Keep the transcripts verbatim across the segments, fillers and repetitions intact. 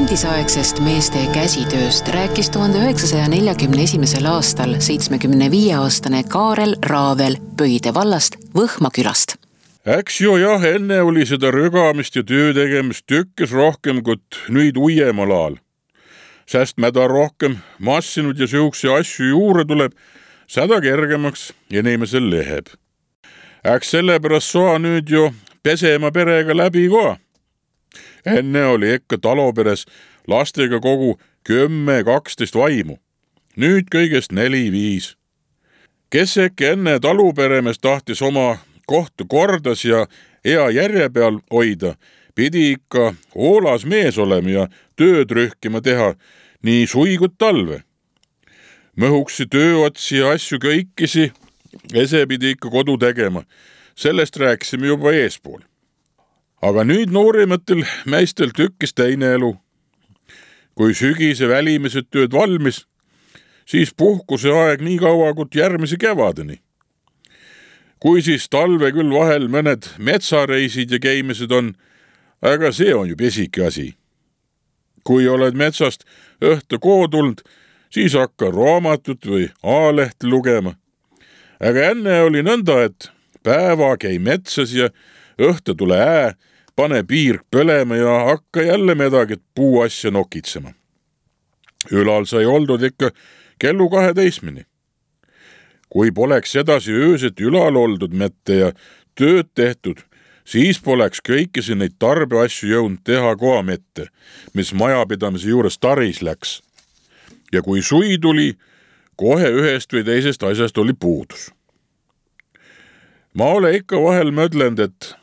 endisaegsest meeste käsitööst rääkis tuhande üheksasaja neljakümne esimesel aastal seitsmekümne viie aastane Kaarel Raavel Pöide vallast Võhma külast. Äks jo jah, enne oli seda rögamist ja töö tegemist tükkes rohkem kui nüüd uiemal aal. Sest mäda rohkem massinud ja sihukese asju juurde tuleb, seda kergemaks inimesel leheb. Äks sellepärast soa nüüd jo pesema perega läbi ka. Enne oli ikka taloperes lastega kogu kümme kaksteist vaimu. Nüüd kõigest neli viis. Kes äkki enne taluperemes tahtis oma kohta kordas ja hea järje peal hoida, pidi ikka hoolas mees olema ja tööd rühkima teha nii sui kui talve. Mõhuksi tööotsi ja asju kõikisi, ese pidi ikka kodu tegema. Sellest rääkisime juba eespool. Aga nüüd noorimatel meistel tükkis teine elu. Kui sügise välimised tööd valmis, siis puhkuse aeg nii kaua kui järgmise kevadeni. Kui siis talve küll vahel mõned metsareisid ja käimised on, aga see on ju pesike asi. Kui oled metsast õhtu koodulnud, siis hakka raamatut või A-lehti lugema. Aga enne oli nõnda, et päeva käi metsas ja õhtu tule ää, pane piirk põlema ja hakka jälle midagi puu asja nokitsema. Ülal sai oldud ikka kellu kaheteismini. Kui poleks edasi ööset ülal oldud mette ja tööd tehtud, siis poleks kõikisi neid tarbeasju jõudnud teha koha mette, mis majapidamise juures taris läks. Ja kui sui tuli, kohe ühest või teisest asjast oli puudus. Ma ole ikka vahel mõdlend, et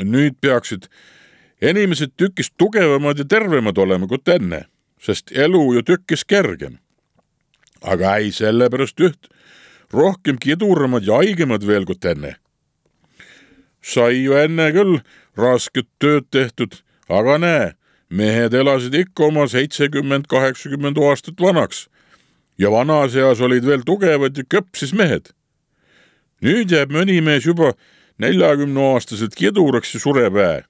nüüd peaksid inimesed tükist tugevamad ja tervemad olema kui enne, sest elu ju tükkis kergem. Aga ei sellepärast üht, rohkem kiduramad ja haigemad veel kui enne. Sai ju enne küll rasket tööd tehtud, aga näe, mehed elasid ikka oma seitsekümmend kaheksakümmend aastat vanaks ja vanas eas olid veel tugevad ja köpsis mehed. Nüüd jääb mõni mees juba neljakümne aastaselt kiduraks ja sureb ää.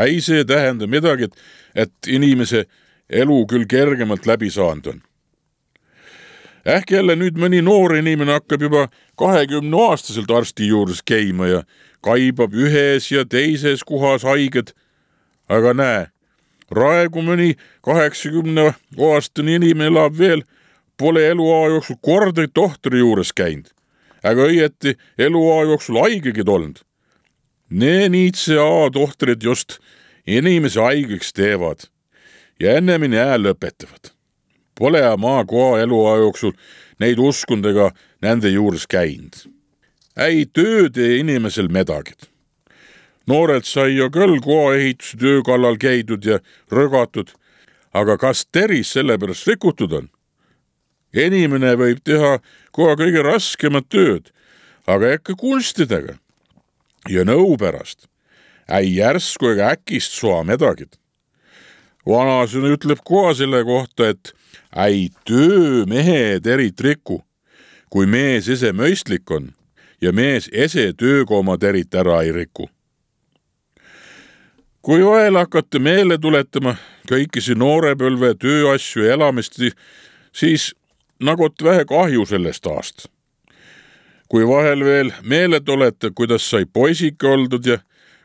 Ei see tähenda midagi, et inimese elu küll kergemalt läbi saanud on. Ähk jälle nüüd mõni noor inimene hakkab juba kahekümne aastaselt arsti juures käima ja kaibab ühes ja teises kohas haiged. Aga näe, raegu mõni kaheksakümne aastane inimene elab veel, pole eluaa jooksul korda tohtori juures käinud. Aga õieti eluaa jooksul haigegid olnud. Nee niitse A-tohtrid just inimese haigeks teevad ja ennemini ää lõpetavad. Pole maa koha eluaa jooksul neid uskundega nende juures käinud. Ei tööd ei inimesel medagid. Noored sai jo küll koha ehituse töö kallal käidud ja rõgatud, aga kas teris sellepärast rikutud on? Inimene võib teha koha kõige raskemat tööd, aga äkki kunstidega ja nõu pärast. Ei järsku ega äkist soa medagid. Vanasõna ütleb koha selle kohta, et ei töö mehed eri triku, kui mees ise mõistlik on ja mees ise tööga oma terit ära ei riku. Kui vahel hakata meele tuletama kõikisi noorepõlve tööasju ja elamist, siis nagot vähe kahju sellest aast. Kui vahel veel meeled olete, kuidas sai poisike oldud ja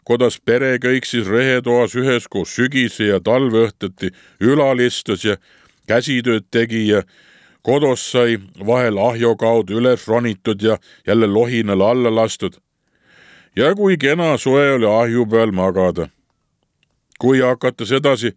kuidas pere kõik siis rehetoas üheskoos sügise ja talveõhtati ülal istus ja käsitööd tegi ja kodos sai vahel ahjo kaudu üles ronitud ja jälle lohinal alla lastud. Ja kui kena soe oli ahju peal magada. Kui hakata sedasi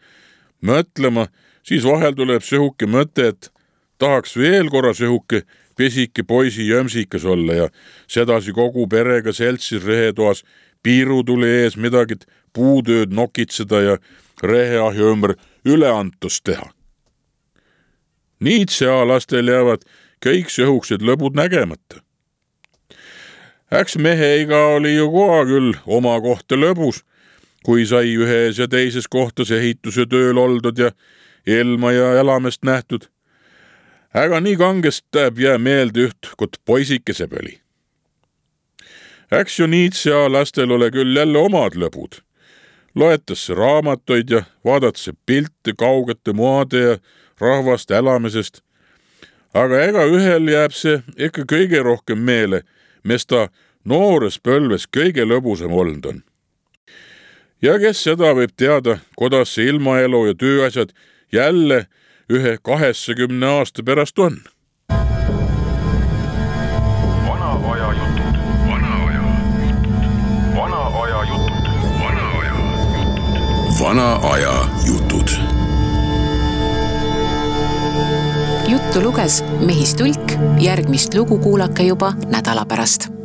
mõtlema, siis vahel tuleb sehuke mõte, et tahaks veel korra sehuke pesike poisi jömsikas olla ja sedasi kogu perega seltsis rehetoas piiru tuli ees midagi puutööd nokitseda ja reheahju ümber üleantust teha. Niitse lastel jäävad kõik sehuksed lõbud nägemata. Äks meheiga oli ju koha küll oma kohta lõbus, kui sai ühes ja teises kohtas ehituse tööl oldud ja ilma ja elamest nähtud. Äga nii kangest täb jää meelde üht, kot poisikese pöli. Äks ju niitse lastel ole küll jälle omad lõbud. loetakse raamatuid ja vaadatakse pilte kaugete maade ja rahvaste elamisest. Aga ega ühel jääb see ikka kõige rohkem meele, mis ta noores põlves kõige lõbusam olnud on. Ja kes seda võib teada, kuidas see ilmaelu ja tööasjad jälle ühe kaheksakümne aasta pärast on. Vana aja jutud, vana aja jutud, vana aja jutud, vana aja jutud, vana aja jutud. Juttu luges Mehis Tulk, järgmist lugu kuulake juba nädala pärast.